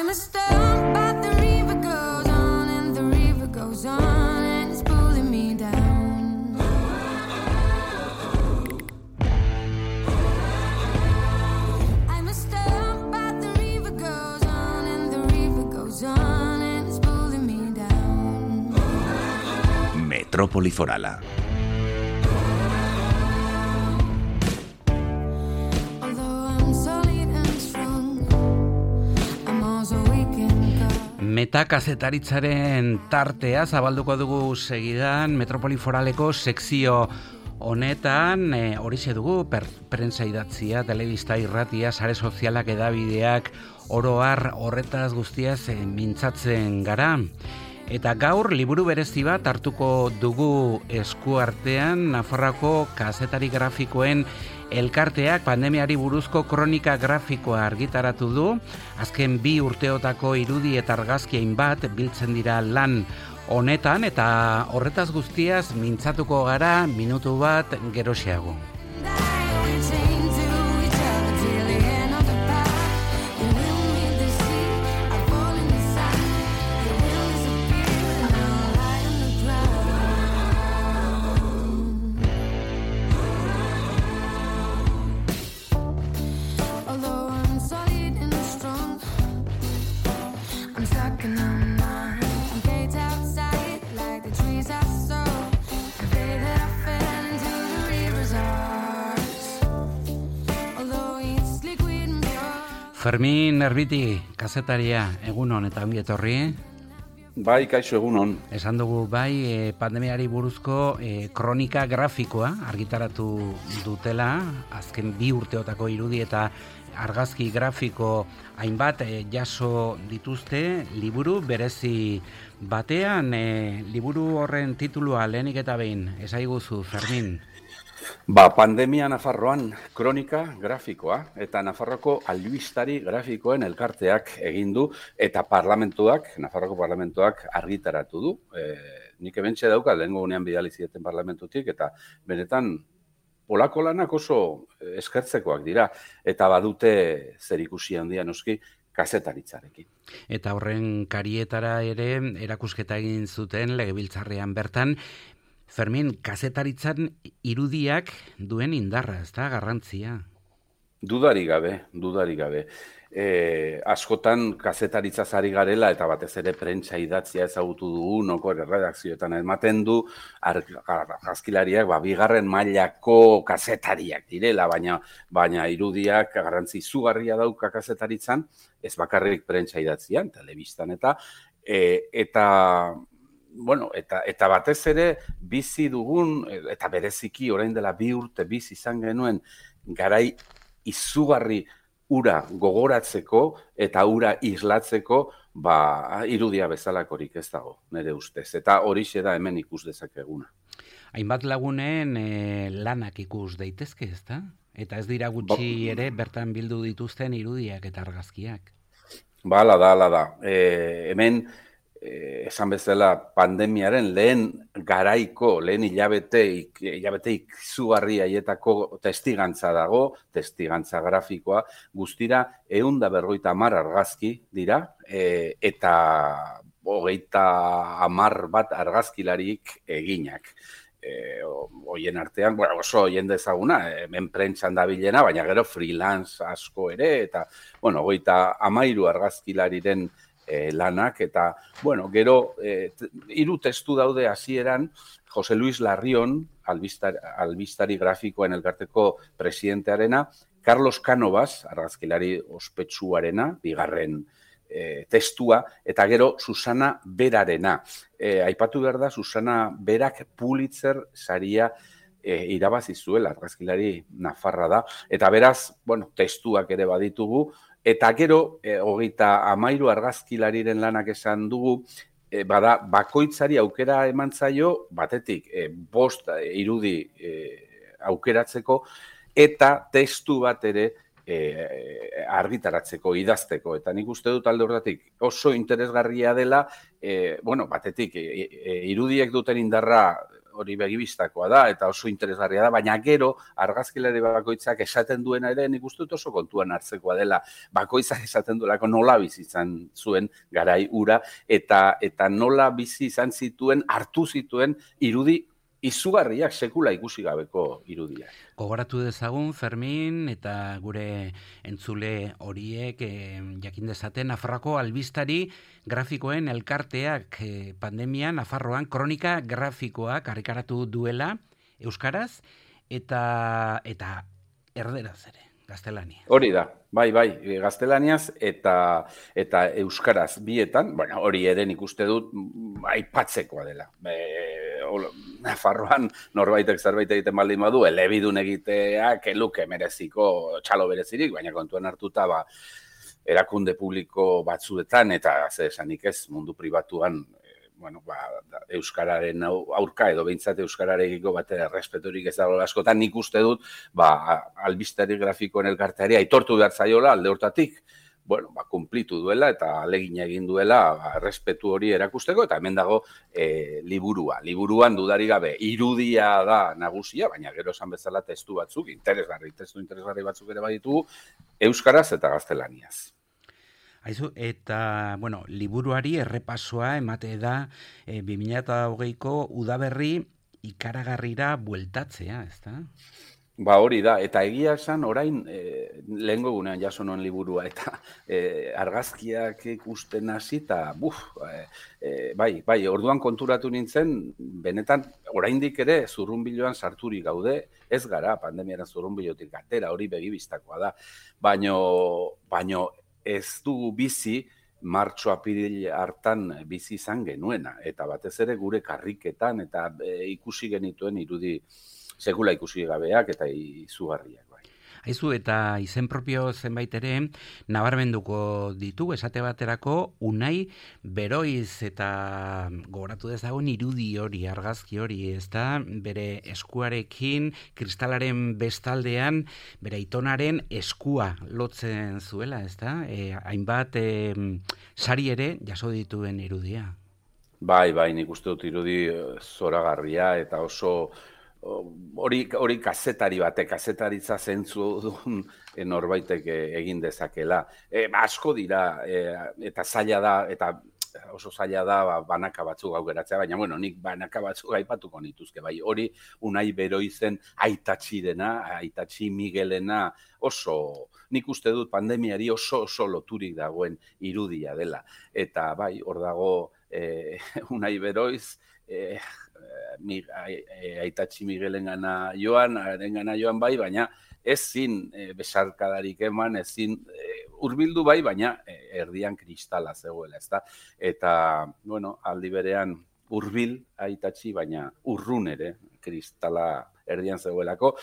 I'm a stone, but the river goes on and the river goes on and it's pulling me down. I'm a stone, but the river goes on and the river goes on and it's pulling me down. Metrópoli Forala. Metakazetaritaren tartea zabalduko dugu segidan Metrópoli Foraleko sekzio honetan, horixe dugu, prentsa idatzia, telebista, irratia, sare sozialak, edabideak, oro har horretaz guztiaz mintzatzen gara. Eta gaur liburu berezi bat hartuko dugu eskuartean, Nafarroako kazetari grafikoen elkarteak pandemiari buruzko kronika grafikoa argitaratu du. Azken 2 urteotako irudi eta argazki hainbat biltzen dira lan honetan, eta horretaz guztiaz mintzatuko gara minutu bat geroxeago. Fermin Erbiti, kazetaria, egunon eta ongi etorri. Bai, kaixo, egunon. Esan dugu bai, pandemiari buruzko kronika grafikoa argitaratu dutela, azken 2 urteotako irudi eta argazki grafiko hainbat jaso dituzte liburu berezi batean. Liburu horren titulua lehenik eta behin, esaiguzu, Fermin. Pandemia Nafarroan kronika grafikoa eta Nafarroko albistari grafikoen elkarteak egin du eta Nafarroko parlamentuak argitaratu du. Nik hementxe dauka, lehengo gunean bidali zieten parlamentutik, eta benetan olako lanak oso eskertzekoak dira, eta badute zerikusi handia noski kazetaritzarekin. Eta horren karietara ere erakusketa egin zuten legebiltzarrean bertan. Fermin, kazetaritzan irudiak duen indarra, ez da, garrantzia? Dudarik gabe. Askotan kazetaritzaz ari garela eta batez ere prentsa idatzia ezagutu dugu, noko erredakzioetan ematen du, argazkilariak 2. mailako kazetariak direla, baina irudiak garrantzi izugarria dauka kazetaritzan, ez bakarrik prentsa idatzian, telebistan eta batez ere bizi dugun, eta bereziki orain dela 2 urte bizi izan genuen garai izugarri ura gogoratzeko eta ura islatzeko, irudia bezalakorik ez dago, nire ustez. Eta horixe da hemen ikus dezakeguna. Hainbat lagunen lanak ikus daitezke, ez da? Eta ez dira gutxi ere bertan bildu dituzten irudiak eta argazkiak. Hala da. Hemen esan bezala pandemiaren lehen hilabeteik izugarri haietako testigantza dago, testigantza grafikoa, guztira 150 argazki dira, eta 30 bat argazkilarik eginak. Hoien artean, oso jende ezaguna, hemen prentsan dabilena, baina gero freelance asko ere, eta 33 argazkilariren lanak, eta, gero, 3 testu daude hasieran, Jose Luis Larrion, albistari grafikoen elkarteko presidentearena, Carlos Cánovas, argazkilari ospetsuarena, 2. testua, eta gero Susana Berarena. Aipatu behar da, Susana Berak Pulitzer saria irabazi zuela, argazkilari nafarra da, eta beraz, testuak ere baditugu, eta gero, 33 argazkilariren lanak esan dugu, bakoitzari aukera eman zaio, batetik, 5 irudi aukeratzeko, eta testu bat ere argitaratzeko, idazteko. Eta nik uste dut alde horretik oso interesgarria dela, batetik, irudiek duten indarra hori begibistakoa da, eta oso interesgarria da, baina gero argazkilari bakoitzak esaten duena ere nik uste dut oso kontuan hartzekoa dela, bakoitzak esaten duelako nola bizi izan zuen garai ura, eta nola bizi izan zituen, hartu zituen irudi izugarriak, sekula ikusi gabeko irudiak. Gogoratu dezagun, Fermin, eta gure entzule horiek jakin dezaten, Nafarroako albistari grafikoen elkarteak pandemian Nafarroan kronika grafikoak argitaratu duela euskaraz eta erderaz ere, gaztelania. Hori da, bai, gaztelaniaz eta euskaraz bietan, bueno, hori ere nik uste dut aipatzekoa dela. Nafarroan norbaitek zerbait egiten baldin badu, elebidun egiteak eluke mereziko txalo berezirik, baina kontuan hartuta erakunde publiko batzuetan eta zer esanik ez mundu pribatuan euskararen aurka edo behintzat euskararekiko batera errespeturik ez dago askotan, nik uste dut albistari grafikoen elkarteari aitortu behar zaiola alde hortatik, kumplitu duela eta alegina egin duela errespetu hori erakusteko, eta hemen dago liburua. Liburuan dudarik gabe irudia da nagusia, baina gero esan bezala testu batzuk, testu interesgarri batzuk ere baditugu, euskaraz eta gaztelaniaz. Aizu, eta, liburuari errepasoa emate da 2020ko udaberri ikaragarrira bueltatzea, ez da? Hori da, eta egia esan orain lehengo gunean jaso noen liburua, eta argazkiak ikusten hasi, eta orduan konturatu nintzen, benetan oraindik ere zurrunbiloan sarturik gaude, ez gara pandemiaren zurrunbilotik atera, hori begibistakoa da, baino ez dugu bizi, martxo-apiril hartan bizi izan genuena, eta batez ere gure karriketan, eta ikusi genituen irudi sekula ikusi gabeak eta izugarriak. Aizu, eta izen propio zenbait ere nabarmenduko ditu, esate baterako Unai Beroiz, eta gogoratu dezagun irudi hori, argazki hori, ez da, bere eskuarekin, kristalaren bestaldean, bere aitonaren eskua lotzen zuela, ez da? Hainbat sari ere jaso dituen irudia. Bai, nik uste dut irudi zoragarria eta oso hori kazetari batek, kazetaritza zentzu duen norbaitek egin dezakela. Asko dira, eta zaila da, eta oso zaila da banaka batzuk aukeratzea, baina nik banaka batzuk aipatuko nituzke. Hori Unai Beroizen Aitatxi Miguelena oso, nik uste dut pandemiari oso loturik dagoen irudia dela. Eta hor dago Unai Beroiz, Aitatxi Miguelengana joan, baina ezin besarkadarik eman, ezin hurbildu baina erdian kristala zegoela, ezta? Eta, aldi berean hurbil Aitatxi, baina urrun ere kristala erdian zegoelako.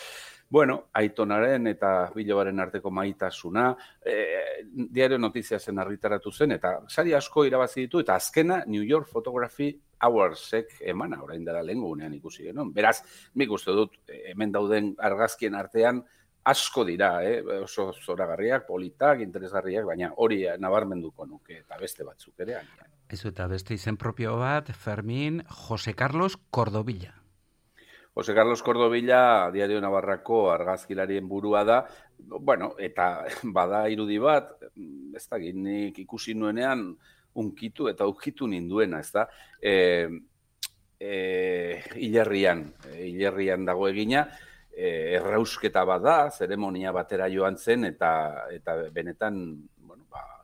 Aitonaren eta Bilobaren arteko maitasuna, Diario Notiziasen argitaratu zen, eta sari asko irabazi ditu, eta azkena New York Photography Awardsek emana, orain dela lehengo gunean ikusi genuen. Beraz, nik uste dut, hemen dauden argazkien artean, asko dira, oso zoragarriak, politak, interesgarriak, baina hori nabarmenduko nuke, eta beste batzuk ere. Ez eta beste izen propio bat, Fermin, Jose Carlos Cordovilla. Jose Carlos Cordovilla, Diario Navarrako argazkilarien burua da, eta bada irudi bat, ez da, nik ikusi nuenean unkitu eta ukitu ninduena, ez da, hilerrian dago egina, errausketa bada, zeremonia batera joan zen, eta benetan,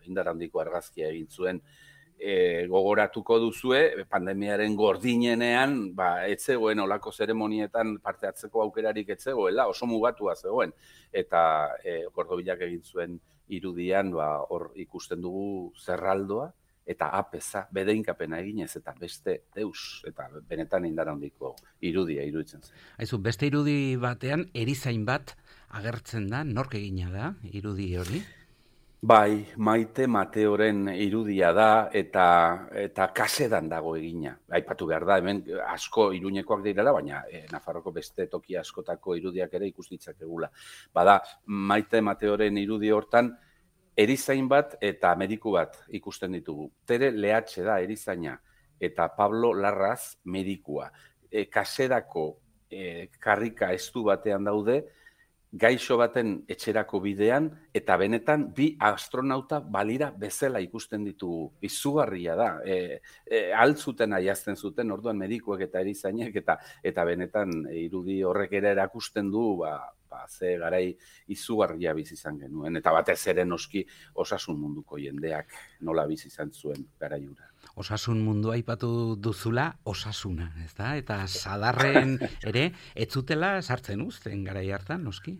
indar handiko argazkia egin zuen, gogoratuko duzue, pandemiaren gordinenean, etzegoen olako zeremonietan parte hartzeko aukerarik etzegoela, oso mugatua zegoen, eta Cordovillak egin zuen irudian, hor ikusten dugu zerraldoa, eta apeza, bedeinkapena eginez, eta beste deus, eta benetan indar handiko irudia iruditzen zen. Aizu, beste irudi batean, erizain bat agertzen da, nork egina da, irudi hori? Bai, Maite Mateoren irudia da eta kasedan dago egina. Aipatu behar da, hemen asko Iruñekoak direla, baina Nafarroko beste toki askotako irudiak ere ikustitzakegula. Bada, Maite Mateoren irudi hortan, erizain bat eta mediku bat ikusten ditugu. Tere Lehatxe da erizaina eta Pablo Larraz medikua. kaserako karrika estu batean daude, gaixo baten etxerako bidean, eta benetan bi astronauta balira bezala ikusten ditugu. Izugarria da. Altzuten aiazten zuten, orduan medikuek eta erizainek, eta benetan irudi horrek ere erakusten du, ze garai izugarria bizi izan genuen. Eta batez ere noski osasun munduko jendeak nola bizi izan zuen garai hura. Osasun mundua aipatu duzula, osasuna, ezta? Eta sadarren ere, ez zutela sartzen uzten garai hartan, noski?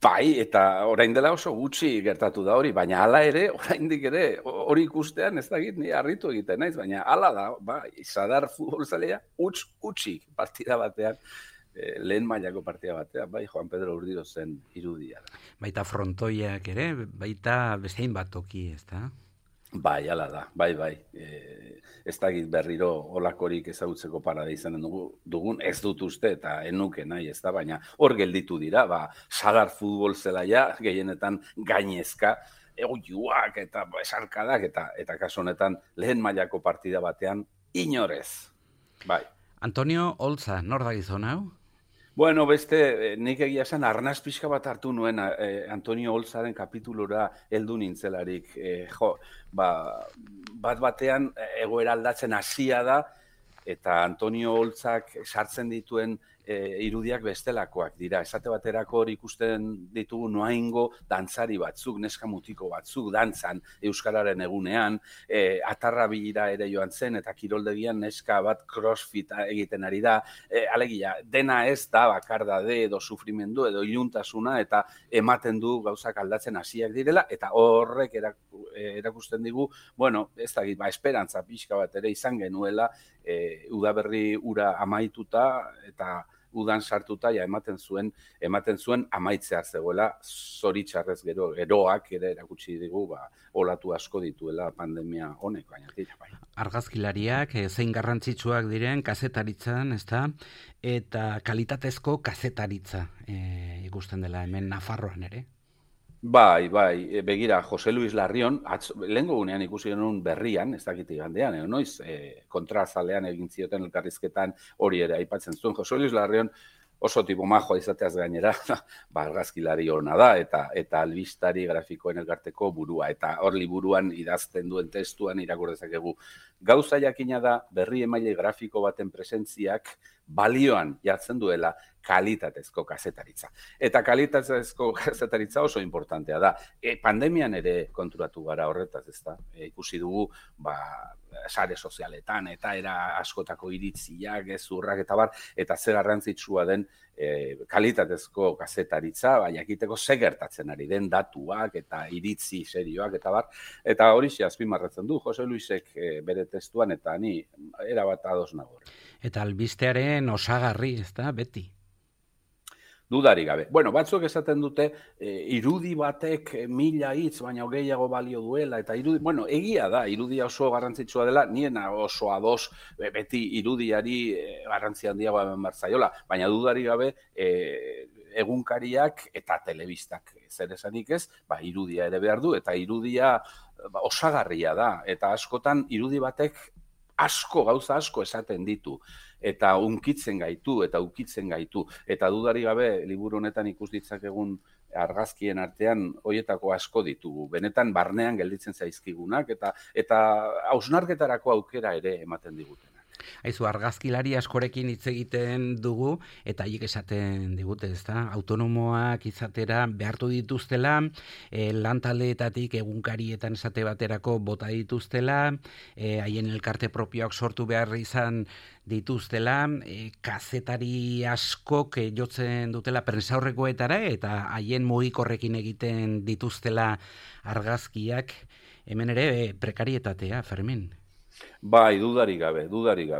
Bai, eta orain dela oso gutxi gertatu da hori, baina hala ere, oraindik ere, hori ikustean ez dakit ni harritu egiten naiz, baina hala da, sadar futbolzalea utxik partida batean, lehen mailako partida batean, bai, Juan Pedro Urdiro zen irudia da. Baita frontoiak ere, baita bestein bat toki, ezta? Bai, hala da, bai. Ez dakit berriro olakorik ezagutzeko parada izanen dugun, ez dut uste eta enuke nahi, ez da, baina hor gelditu dira, sagar futbol zelaia, gehienetan gainezka, oiuak eta esarkadak, eta kasu honetan lehen mailako partida batean inorez. Bai. Antonio Olza, nor da gizon hau? Bueno, beste, nik egia esan arnaz pixka bat hartu nuen Antonio Olzaren kapitulura heldu nintzelarik. Bat batean egoera aldatzen hasia da, eta Antonio Olzak sartzen dituen irudiak bestelakoak dira. Esate baterako hor ikusten ditugu noaingo dantzari batzuk, neska mutiko batzuk, dantzan Euskararen egunean, atarra bila ere joan zen, eta kiroldegian neska bat crossfit egiten ari da. Alegia, dena ez da bakardade edo sufrimendu edo iluntasuna, eta ematen du gauzak aldatzen hasiak direla, eta horrek erakusten digu, bueno, ez da, esperantza pixka bat ere izan genuela, udaberri ura amaituta, eta udan sartuta ematen zuen amaitzea zegoela, zoritxarrez geroak ere erakutsi digu, olatu asko dituela pandemia honek, baina dira, bai. Argazkilariak zein garrantzitsuak diren kazetaritzan, ezta? Eta kalitatezko kazetaritza ikusten dela hemen Nafarroan ere. Bai, begira, Jose Luis Larrion, lehengo gunean ikusi genuen berrian, ez dakit igandean, noiz, kontrazalean egin zioten elkarrizketan hori ere aipatzen zuen. Jose Luis Larrion oso tipo majoa izateaz gainera, argazkilari hona da, eta albistari grafikoen elkarteko burua, eta hor liburuan idazten duen testuan irakur dezakegu. Gauza jakina da berri emaile grafiko baten presentziak balioan jartzen duela kalitatezko kazetaritza. Eta kalitatezko kazetaritza oso importantea da. Pandemian ere konturatu gara horretaz, ezta? Ikusi dugu, sare sozialetan eta era askotako iritziak, gezurrak eta bar, eta ze garrantzitsua den kalitatezko kazetaritza, jakiteko ze gertatzen ari den datuak eta iritzi serioak eta bar, eta hori azpimarratzen du Jose Luisek bere testuan, eta ni erabat ados nago. Eta albistearen osagarri, ezta, beti? Dudari gabe. Bueno, batzuk esaten dute irudi batek 1000 hitz baina gehiago balio duela, eta egia da, irudia oso garrantzitsua dela, niena oso ados beti irudiari garrantzia handiagoa eman behar zaiola, baina dudari gabe egunkariak eta telebistak zer esanik ez, irudia ere behar du, eta irudia osagarria da, eta askotan irudi batek gauza asko esaten ditu, eta unkitzen gaitu, eta ukitzen gaitu, eta dudari gabe liburu honetan ikus ditzakegun argazkien artean horietako asko ditugu. Benetan barnean gelditzen zaizkigunak, eta hausnarketarako aukera ere ematen digutenak. Aizu, argazkilari askorekin hitz egiten dugu, eta haiek esaten digute, ezta? Autonomoak izatera behartu dituztela, lantaldeetatik egunkarietan esate baterako bota dituztela, haien elkarte propioak sortu behar izan dituztela, kazetari askok jotzen dutela prensaurrekoetara, eta haien mugikorrekin egiten dituztela argazkiak, hemen ere prekarietatea, Fermin. Bai, dudari gabe,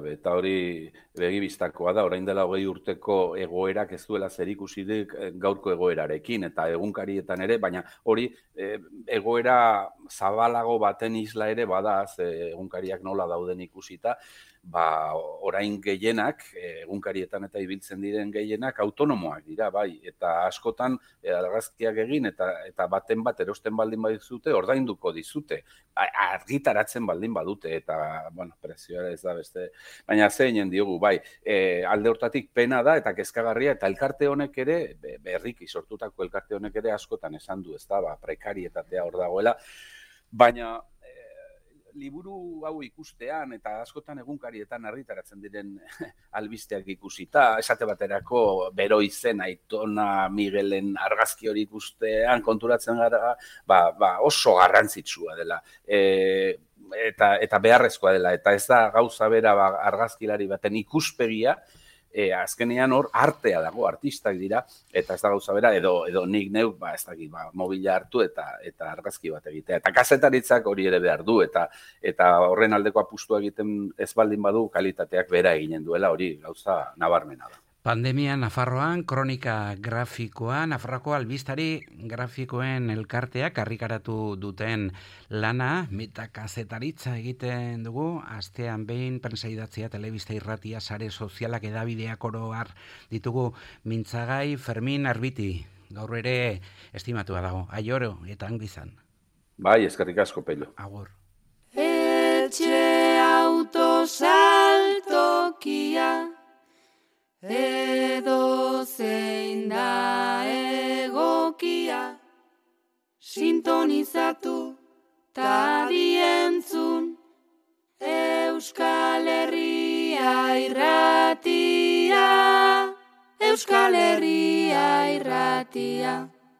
eta hori begibistakoa da, orain dela 20 urteko egoerak ez duela zerikusirik gaurko egoerarekin, eta egunkarietan ere, baina hori egoera zabalago baten isla ere bada, egunkariak nola dauden ikusita, orain gehienak, egunkarietan eta ibiltzen diren gehienak autonomoak dira, bai, eta askotan argazkiak egin, eta baten bat erosten baldin badizute, ordainduko dizute, argitaratzen baldin badute, eta eta, prezioa ez da beste, baina zeinen diogu, bai, alde hortatik pena da eta kezkagarria, eta elkarte honek ere, berriki sortutako elkarte honek ere askotan esan du, ez da, prekarietatea hor dagoela, baina liburu hau ikustean eta askotan egunkarietan argitaratzen diren albisteak ikusita, esate baterako Bero izen Aitona Miguelen argazki hori ikustean konturatzen gara, oso garrantzitsua dela. Eta beharrezkoa dela, eta ez da gauza bera argazkilari baten ikuspegia, azkenean hor artea dago, artistak dira, eta ez da gauza bera, edo nik neuk, ez dakit, mobila hartu eta argazki bat egitea. Eta kazetaritzak hori ere behar du, eta horren aldeko apustua egiten ez baldin badu, kalitateak bera eginen duela, hori gauza nabarmena da. Pandemia Nafarroan, kronika grafikoa, Nafarroako albistari grafikoen elkarteak argitaratu duten lana, metakazetaritza egiten dugu, astean behin, prensa idatzia, telebista irratia, sare sozialak edabideak oro har ditugu mintzagai Fermin Arbiti. Gaur ere estimatua dago, aioro eta angizan. Bai, eskerrik asko, Pello. Agur. Etxe autosaltokia edo zein da egokia, sintonizatu ta dientzun Euskal Herria irratia, Euskal Herria irratia.